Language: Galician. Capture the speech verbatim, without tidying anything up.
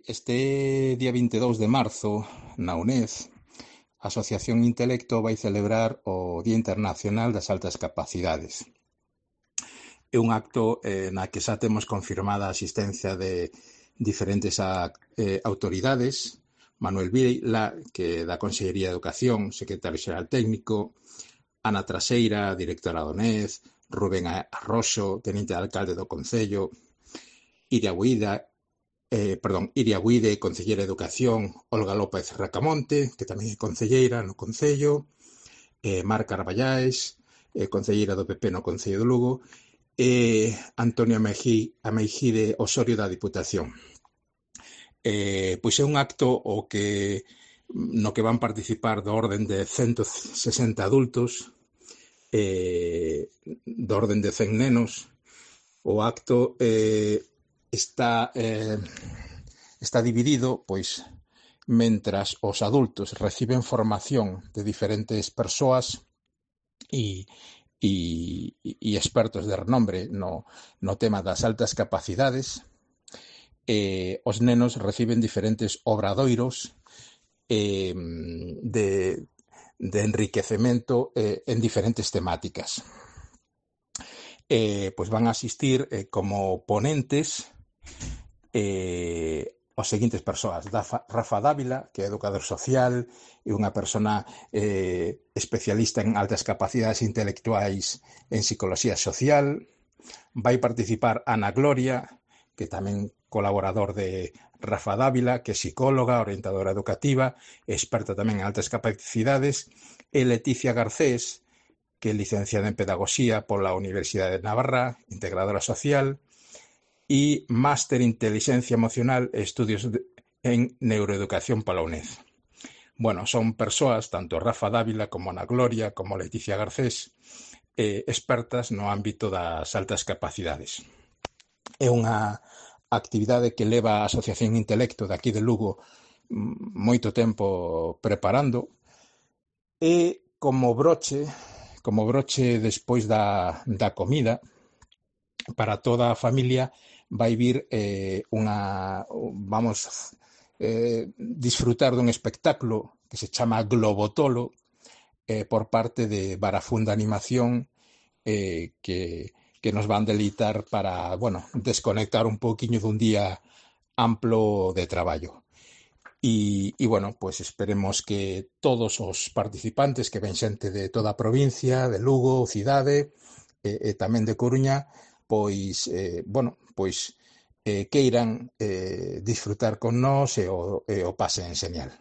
Este día vinte e dous de marzo, na UNED, a Asociación Intelecto vai celebrar o Día Internacional das Altas Capacidades. É un acto eh, na que xa temos confirmada a asistencia de diferentes a, eh, autoridades. Manuel Vila, que da Consellería de Educación, secretario xeral técnico, Ana Traseira, directora da UNED, Rubén Arroxo, teniente de alcalde do Concello, Iria Buida, eh, perdón, Iria Buide, Concelleira de Educación, Olga López Racamonte, que tamén é concelleira no Concello, eh, Mar Carballáes, eh, concelleira do P P no Concello de Lugo, e Antonio Ameijide Osorio da Diputación. Eh, pois é un acto o que no que van participar do orden de ciento sesenta adultos, eh, do orden de cen nenos. O acto eh, está eh, está dividido, pois, mentras os adultos reciben formación de diferentes persoas e, e, e expertos de renombre no, no tema das altas capacidades, eh, os nenos reciben diferentes obradoiros eh, de, de enriquecemento eh, en diferentes temáticas. Eh, pois van a asistir eh, como ponentes eh, os seguintes persoas: Rafa Dávila, que é educador social e unha persona eh, especialista en altas capacidades intelectuais en psicología social. Vai participar Ana Gloria, que tamén colaborador de Rafa Dávila, que é psicóloga, orientadora educativa, experta tamén en altas capacidades, e Leticia Garcés, que é licenciada en Pedagogía pola Universidade de Navarra, integradora social, e máster en Inteligencia Emocional e Estudios en Neuroeducación pola UNED. Bueno, son persoas, tanto Rafa Dávila como Ana Gloria, como Leticia Garcés, eh, expertas no ámbito das altas capacidades. É unha actividade que leva a Asociación Intelecto de aquí de Lugo moito tempo preparando, e como broche como broche despois da, da comida, para toda a familia vai vir eh, unha, vamos, eh, disfrutar dun espectáculo que se chama Globotolo eh, por parte de Barafunda Animación, eh, que, que nos van deleitar para, bueno, desconectar un pouquiño dun día amplo de traballo. E, e, bueno, pues esperemos que todos os participantes, que ven xente de toda a provincia, de Lugo, cidade, e, e tamén de Coruña, pois, eh, bueno, pois eh, queiran eh, disfrutar con nós e o, e o pasen señal.